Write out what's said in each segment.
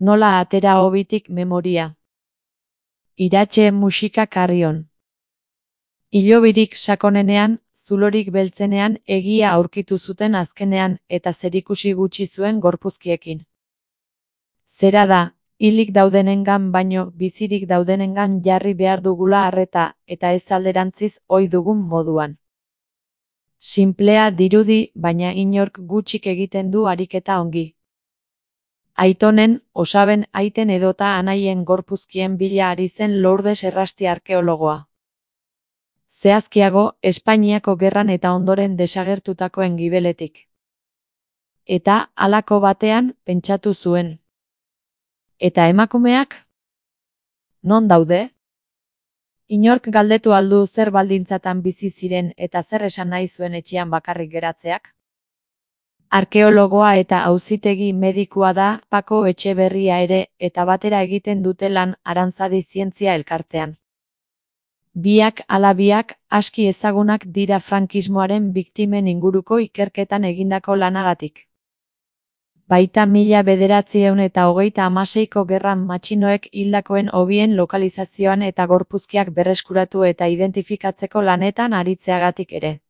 Nola atera hobitik memoria. Iratxe musika karrion. Hilobirik sakonenean, zulorik beltzenean egia aurkitu zuten azkenean eta zerikusi gutxi zuen gorpuzkiekin. Zera da, hilik daudenengan baino bizirik daudenengan jarri behar dugula arreta eta ez alderantziz ohi dugun moduan. Sinplea dirudi, baina inork gutxik egiten du ariketa ongi. Aitonen, osaben aiten edota anaien gorpuzkien bila ari zen Lourdes Errasti arkeologoa. Zehazkiago, Espainiako gerran eta ondoren desagertutakoen gibeletik. Eta, halako batean, pentsatu zuen. Eta emakumeak? Non daude? Inork galdetu aldu zer baldintzatan bizi ziren eta zer esan nahi zuen etxean bakarrik geratzeak? Arkeologoa eta auzitegi medikua da Pako Etxeberria ere eta batera egiten dute lan Arantzadi Zientzia Elkartean. Biak ala biak aski ezagunak dira frankismoaren biktimen inguruko ikerketan egindako lanagatik. Baita 1936ko gerran matxinoek hildakoen hobien lokalizazioan eta gorpuzkiak berreskuratu eta identifikatzeko lanetan aritzeagatik ere.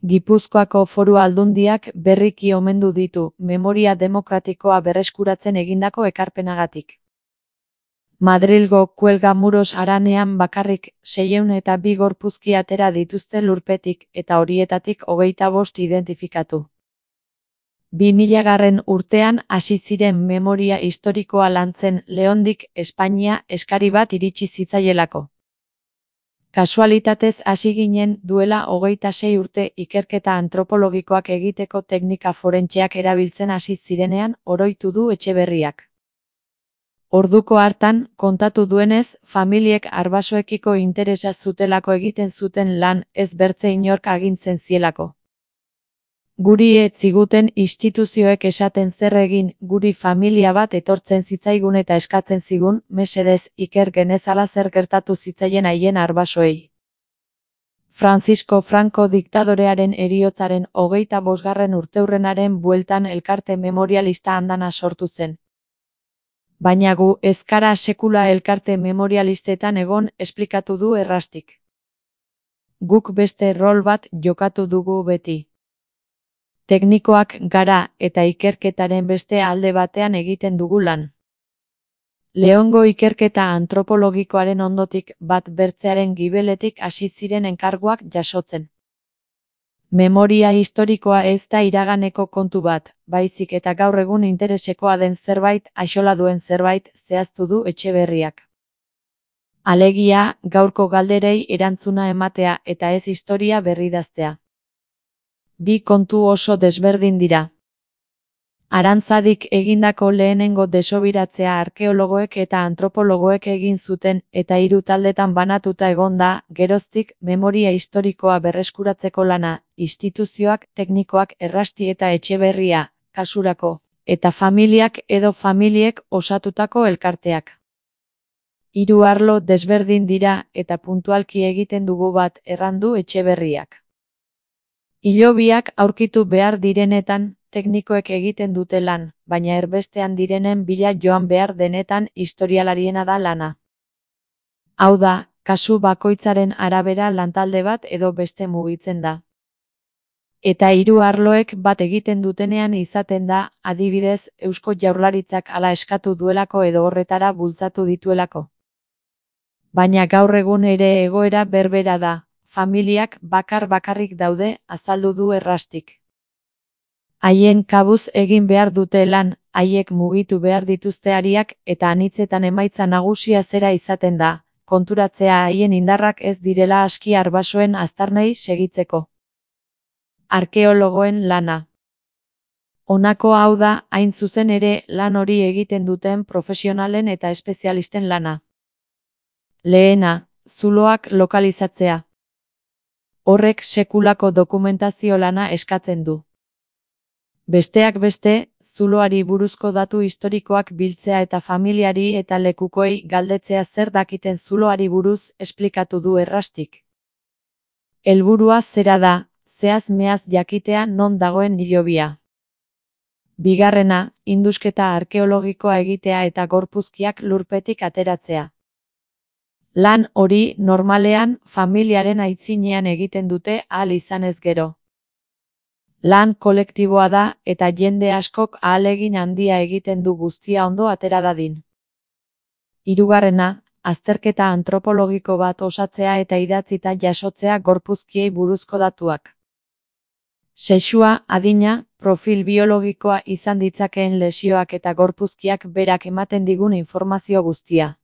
Gipuzkoako Foru Aldundiak berriki omendu ditu memoria demokratikoa berreskuratzen egindako ekarpenagatik. Madrilgo Kuelgamuros haranean bakarrik 602 gorpuzki atera dituzte lurpetik eta horietatik 25 identifikatu. 2000 urtean hasi ziren memoria historikoa lantzen Leondik Espainia eskari bat iritsi zitzaielako. Kasualitatez hasi ginen duela 26 urte ikerketa antropologikoak egiteko teknika forentseak erabiltzen hasi zirenean oroitu du Etxeberriak. Orduko hartan, kontatu duenez, familiek arbasoekiko interesa zutelako egiten zuten lan ez bertze inork agintzen zielako. Guri ez ziguten instituzioek esaten zer egin, guri familia bat etortzen zitzaigun eta eskatzen zigun, mesedez, iker genezala zer gertatu zitzaien haien arbasoei. Francisco Franco diktadorearen heriotzaren 25. urteurrenaren bueltan elkarte memorialista andana sortu zen. Baina gu ez gara sekula elkarte memorialistetan egon, esplikatu du Errastik. Guk beste rol bat jokatu dugu beti. Teknikoak gara eta ikerketaren beste alde batean egiten dugu lan. Leongo ikerketa antropologikoaren ondotik bat bertzearen gibeletik hasi ziren enkarguak jasotzen. Memoria historikoa ez da iraganeko kontu bat, baizik eta gaur egun interesekoa den zerbait, axola duen zerbait, zehaztu du Etxeberriak. Alegia, gaurko galderei erantzuna ematea eta ez historia berridaztea. Bi kontu oso desberdin dira. Arantzadik egindako lehenengo desobiratzea arkeologoek eta antropologoek egin zuten eta 3 taldetan banatuta egon da, geroztik, memoria historikoa berreskuratzeko lana, instituzioak, teknikoak Errasti eta Etxeberria, kasurako, eta familiak edo familiek osatutako elkarteak. 3 arlo desberdin dira eta puntualki egiten dugu bat errandu Etxeberriak. Hilobiak aurkitu behar direnetan, teknikoek egiten dute lan, baina erbestean direnen bila joan behar denetan historialariena da lana. Hau da, kasu bakoitzaren arabera lantalde bat edo beste mugitzen da. Eta 3 arloek bat egiten dutenean izaten da, adibidez, Eusko Jaurlaritzak hala eskatu duelako edo horretara bultzatu dituelako. Baina gaur egun ere egoera berbera da. Familiak bakarrik daude, azaldu du Errastik. Haien kabuz egin behar dute lan, haiek mugitu behar dituzte hariak eta anitzetan emaitza nagusia zera izaten da, konturatzea haien indarrak ez direla aski arbasoen aztarnei segitzeko. Arkeologoen lana. Honako hau da, hain zuzen ere, lan hori egiten duten profesionalen eta espezialisten lana. Lehena, zuloak lokalizatzea. Horrek sekulako dokumentazio lana eskatzen du. Besteak beste, zuloari buruzko datu historikoak biltzea eta familiari eta lekukoei galdetzea zer dakiten zuloari buruz esplikatu du Errastik. Helburua zera da, zehaz meaz jakitea non dagoen hilobia. Bigarrena, indusketa arkeologikoa egitea eta gorpuzkiak lurpetik ateratzea. Lan hori normalean familiaren aitzinean egiten dute ahal izanez gero. Lan kolektiboa da eta jende askok ahalegin handia egiten du guztia ondo atera dadin. Hirugarrena, azterketa antropologiko bat osatzea eta idatzita jasotzea gorpuzkiei buruzko datuak. Sexua, adina, profil biologikoa izan ditzakeen lesioak eta gorpuzkiak berak ematen digun informazio guztia.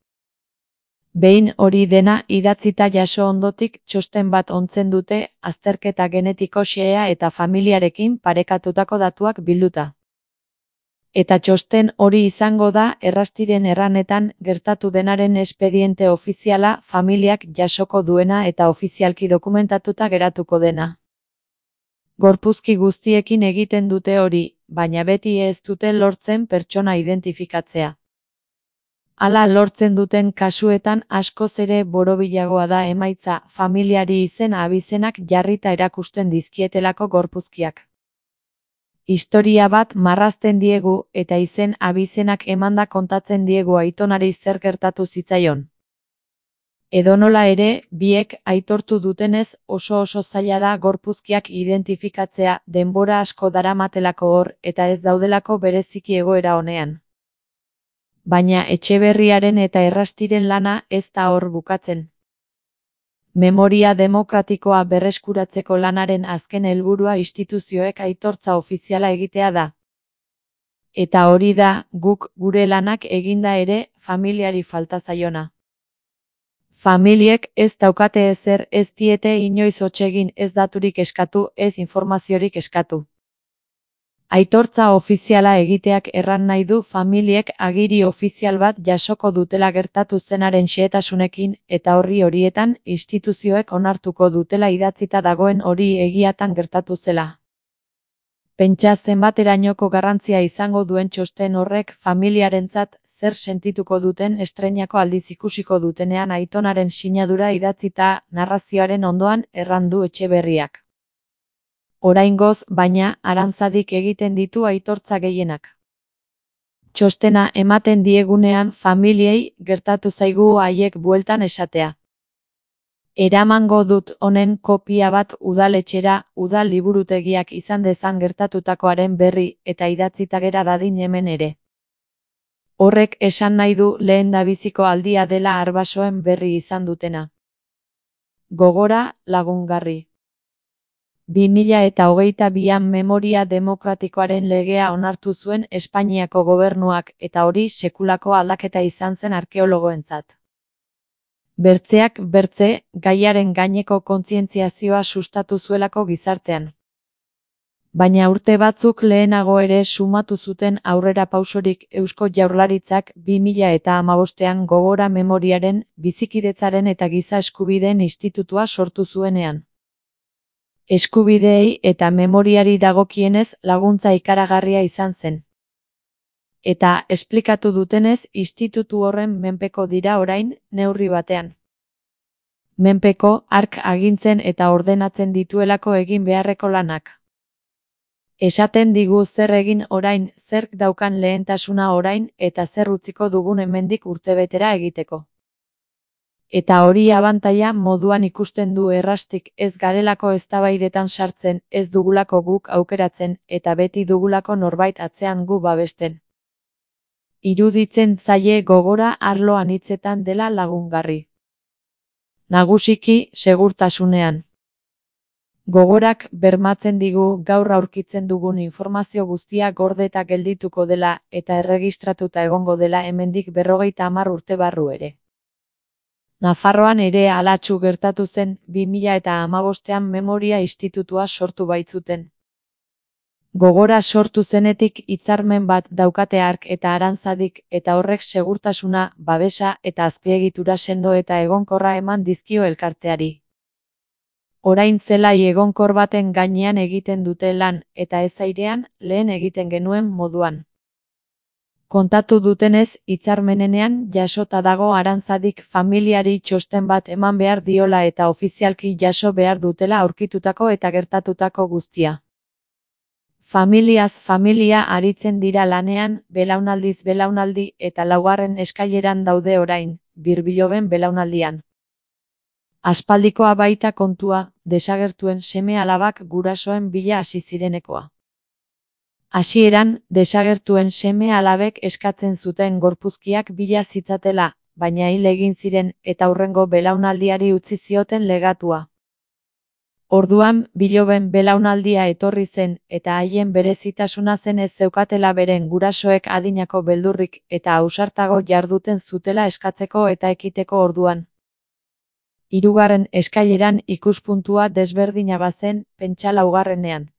Behin hori dena idatzita jaso ondotik txosten bat ontzen dute azterketa genetiko xehea eta familiarekin parekatutako datuak bilduta. Eta txosten hori izango da errastiren erranetan gertatu denaren espediente ofiziala familiak jasoko duena eta ofizialki dokumentatuta geratuko dena. Gorpuzki guztiekin egiten dute hori, baina beti ez dute lortzen pertsona identifikatzea. Hala lortzen duten kasuetan askoz ere borobilagoa da emaitza familiari izen abizenak jarrita erakusten dizkietelako gorpuzkiak. Historia bat marrazten diegu eta izen abizenak emanda kontatzen diegu aitonari zer gertatu zitzaion. Edonola ere, biek aitortu dutenez oso zaila da gorpuzkiak identifikatzea denbora asko daramatelako hor eta ez daudelako bereziki egoera onean. Baina Etxeberriaren eta Errastiren lana ez da hor bukatzen. Memoria demokratikoa berreskuratzeko lanaren azken helburua instituzioek aitortza ofiziala egitea da. Eta hori da, guk gure lanak eginda ere, familiari falta zaiona. Familiek ez daukate ezer, ez diete inoiz hotsegin, ez daturik eskatu, ez informaziorik eskatu. Aitortza ofiziala egiteak erran nahi du familiek agiri ofizial bat jasoko dutela gertatu zenaren xehetasunekin eta horietan instituzioek onartuko dutela idatzita dagoen hori egiatan gertatu zela. Pentsa zenbaterainoko garrantzia izango duen txosten horrek familiarentzat zer sentituko duten estreinako aldiz ikusiko dutenean aitonaren sinadura idatzita narrazioaren ondoan errandu Etxeberriak. Oraingoz, baina, Arantzadik egiten ditu aitortza gehienak. Txostena ematen diegunean familiei gertatu zaigu haiek bueltan esatea. Eramango dut honen kopia bat udaletxera, udal liburutegiak izan dezan gertatutakoaren berri eta idatzita gera dadin hemen ere. Horrek esan nahi du lehendabiziko aldia dela arbasoen berri izan dutena. Gogora, lagungarri. 2022an memoria demokratikoaren legea onartu zuen Espainiako gobernuak eta hori sekulako aldaketa izan zen arkeologoentzat. Bertzeak bertze, gaiaren gaineko kontzientziazioa sustatu zuelako gizartean. Baina urte batzuk lehenago ere sumatu zuten aurrera pausorik Eusko Jaurlaritzak 2015an Gogora Memoriaren, Bizikidetzaren eta Giza Eskubideen Institutua sortu zuenean. Eskubideei eta memoriari dagokienez laguntza ikaragarria izan zen. Eta, esplikatu dutenez, institutu horren menpeko dira orain, neurri batean. Menpeko, hark agintzen eta ordenatzen dituelako egin beharreko lanak. Esaten digu zer egin orain, zerk daukan lehentasuna orain eta zer utziko dugun hemendik urtebetera egiteko. Eta hori abantaila moduan ikusten du Errastik ez garelako eztabaidetan sartzen, ez dugulako guk aukeratzen eta beti dugulako norbait atzean gu babesten. Iruditzen zaie Gogora arlo anitzetan dela lagungarri. Nagusiki, segurtasunean. Gogorak bermatzen digu gaur aurkitzen dugun informazio guztia gordeta geldituko dela eta erregistratuta egongo dela hemendik 50 urte barru ere. Nafarroan ere halatsu gertatu zen 2015an Memoria Institutua sortu baitzuten. Gogora sortu zenetik hitzarmen bat daukate hark eta Arantzadik eta horrek segurtasuna, babesa eta azpiegitura sendo eta egonkorra eman dizkio elkarteari. Orain zelai egonkor baten gainean egiten dute lan eta ez airean lehen egiten genuen moduan. Kontatu dutenez, hitzarmenean jasota dago Arantzadik familiari txosten bat eman behar diola eta ofizialki jaso behar dutela aurkitutako eta gertatutako guztia. Familiaz familia aritzen dira lanean, belaunaldiz belaunaldi eta laugarren eskaileran daude orain, Birbiloben belaunaldian. Aspaldikoa baita kontua, desagertuen seme-alabak gurasoen bila hasi zirenekoa. Hasieran, desagertuen seme-alabek eskatzen zuten gorpuzkiak bila zitzatela, baina hil egin ziren eta hurrengo belaunaldiari utzi zioten legatua. Orduan, Biloben belaunaldia etorri zen eta haien berezitasuna zen ez zeukatela beren gurasoek adinako beldurrik eta ausartago jarduten zutela eskatzeko eta ekiteko orduan. Hirugarren eskaileran ikuspuntua desberdina bazen, pentsa laugarrenean.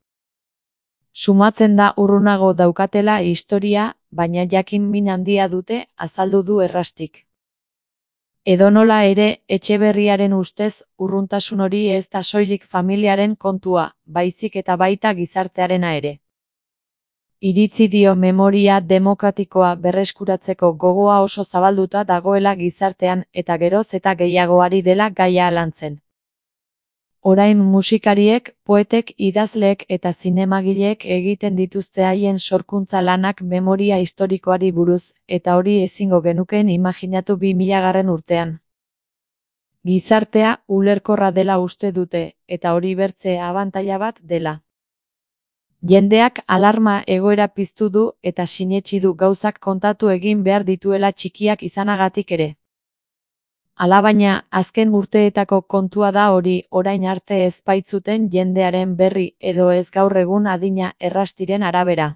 Sumatzen da urrunago daukatela historia, baina jakin min handia dute, azaldu du Errastik. Edonola ere, Etxeberriaren ustez, urruntasun hori ez da soilik familiaren kontua, baizik eta baita gizartearena ere. Iritzi dio memoria demokratikoa berreskuratzeko gogoa oso zabalduta dagoela gizartean eta geroz eta gehiagoari dela gaia lantzen. Orain musikariek, poetek, idazleek eta zinemagileek egiten dituzte haien sorkuntza lanak memoria historikoari buruz, eta hori ezingo genukeen imaginatu 2000. urtean. Gizartea ulerkorra dela uste dute, eta hori bertze abantaila bat dela. Jendeak alarma egoera piztu du eta sinetsi du gauzak kontatu egin behar dituela txikiak izanagatik ere. Alabaina, azken urteetako kontua da hori, orain arte ez baitzuten jendearen berri edo ez gaur egun adina Errastiren arabera.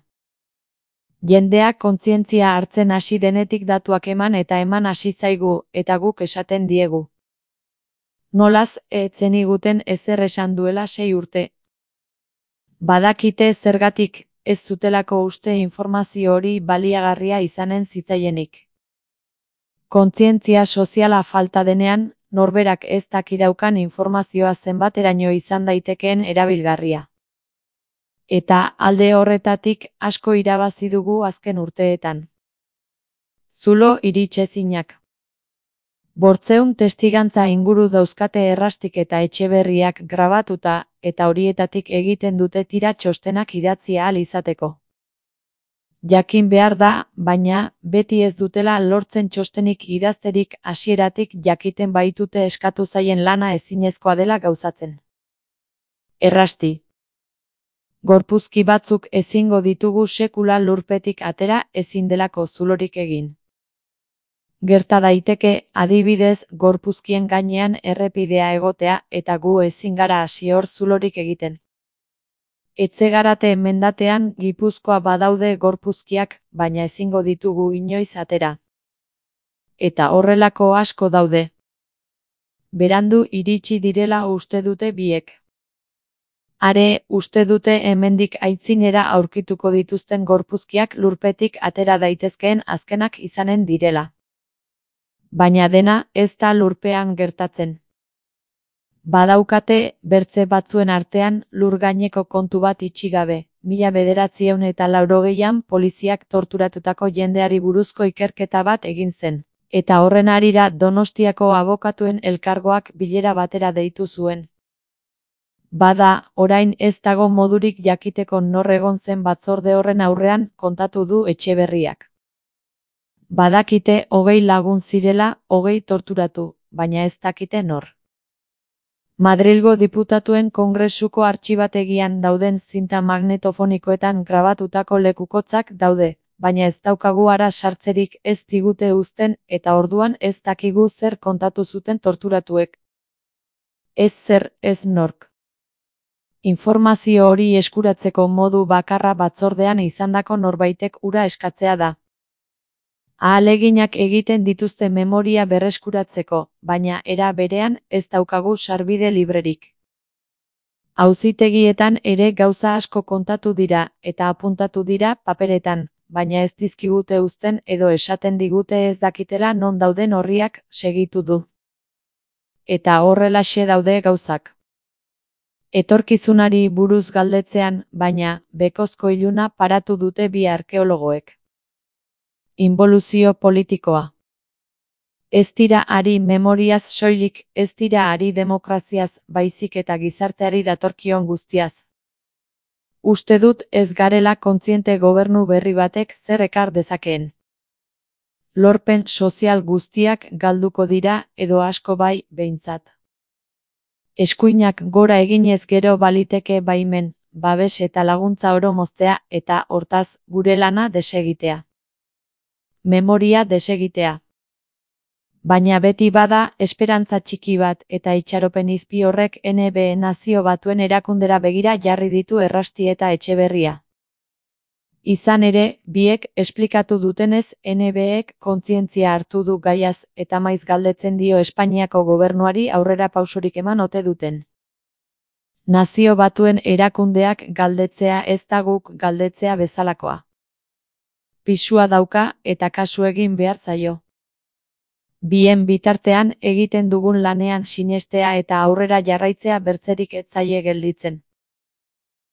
Jendeak kontzientzia hartzen hasi denetik datuak eman eta eman hasi zaigu, eta guk esaten diegu. Nolaz, ez zeniguten ezer esan duela 6 urte. Badakite zergatik, ez zutelako uste informazio hori baliagarria izanen zitzaienik. Kontzientzia soziala falta denean, norberak ez dakidaukan informazioa zenbateraino izan daitekeen erabilgarria. Eta alde horretatik asko irabazi dugu azken urteetan. Zulo iritsezinak. 800 testigantza inguru dauzkate Errastik eta Etxeberriak grabatuta, eta horietatik egiten dute tira txostenak idatzi ahal izateko. Jakin behar da, baina, beti ez dutela lortzen txostenik idazterik hasieratik jakiten baitute eskatu zaien lana ezinezkoa dela gauzatzen. Errasti. Gorpuzki batzuk ezingo ditugu sekula lurpetik atera ezin delako zulorik egin. Gerta daiteke, adibidez, gorpuzkien gainean errepidea egotea eta gu ezin gara hasi hor zulorik egiten. Etxegarate mendatean Gipuzkoa badaude gorpuzkiak, baina ezingo ditugu inoiz atera. Eta horrelako asko daude. Berandu iritsi direla uste dute biek. Are, uste dute hemendik aitzinera aurkituko dituzten gorpuzkiak lurpetik atera daitezkeen azkenak izanen direla. Baina dena ez da lurpean gertatzen. Badaukate, bertze batzuen artean, lur gaineko kontu bat itxi gabe, 1980an poliziak torturatutako jendeari buruzko ikerketa bat egin zen, eta horren harira Donostiako abokatuen elkargoak bilera batera deitu zuen. Bada, orain ez dago modurik jakiteko nor egon zen batzorde horren aurrean, kontatu du Etxeberriak. Badakite 20 lagun zirela, 20 torturatu, baina ez dakite nor. Madrilgo diputatuen kongresuko artxibategian dauden zinta magnetofonikoetan grabatutako lekukotzak daude, baina ez daukagu ara sartzerik ez digute uzten eta orduan ez dakigu zer kontatu zuten torturatuek. Ez zer, ez nork. Informazio hori eskuratzeko modu bakarra batzordean izandako norbaitek ura eskatzea da. Ahaleginak egiten dituzte memoria berreskuratzeko, baina era berean ez daukagu sarbide librerik. Auzitegietan ere gauza asko kontatu dira eta apuntatu dira paperetan, baina ez dizkigute uzten edo esaten digute ez dakitela non dauden orriak, segitu du. Eta horrelaxe daude gauzak. Etorkizunari buruz galdetzean, baina, bekozko iluna paratu dute bi arkeologoek. Inboluzio politikoa. Ez dira ari memoriaz soilik, ez dira ari demokraziaz, baizik eta gizarteari datorkion guztiaz. Uste dut ez garela kontziente gobernu berri batek zer ekar dezakeen. Lorpen sozial guztiak galduko dira edo asko bai behintzat. Eskuinak gora eginez gero baliteke baimen, babes eta laguntza oro moztea eta hortaz gure lana desegitea. Memoria desegitea. Baina beti bada esperantza txiki bat eta itxaropen izpi horrek NBE Nazio Batuen erakundera begira jarri ditu Errasti eta Etxeberria. Izan ere, biek esplikatu dutenez NBEk kontzientzia hartu du gaiaz eta maiz galdetzen dio Espainiako gobernuari aurrera pausorik eman ote duten. Nazio Batuen erakundeak galdetzea ez da guk galdetzea bezalakoa. Pisua dauka eta kasu egin behar zaio. Bien bitartean egiten dugun lanean sinestea eta aurrera jarraitzea bertzerik ez zaie gelditzen.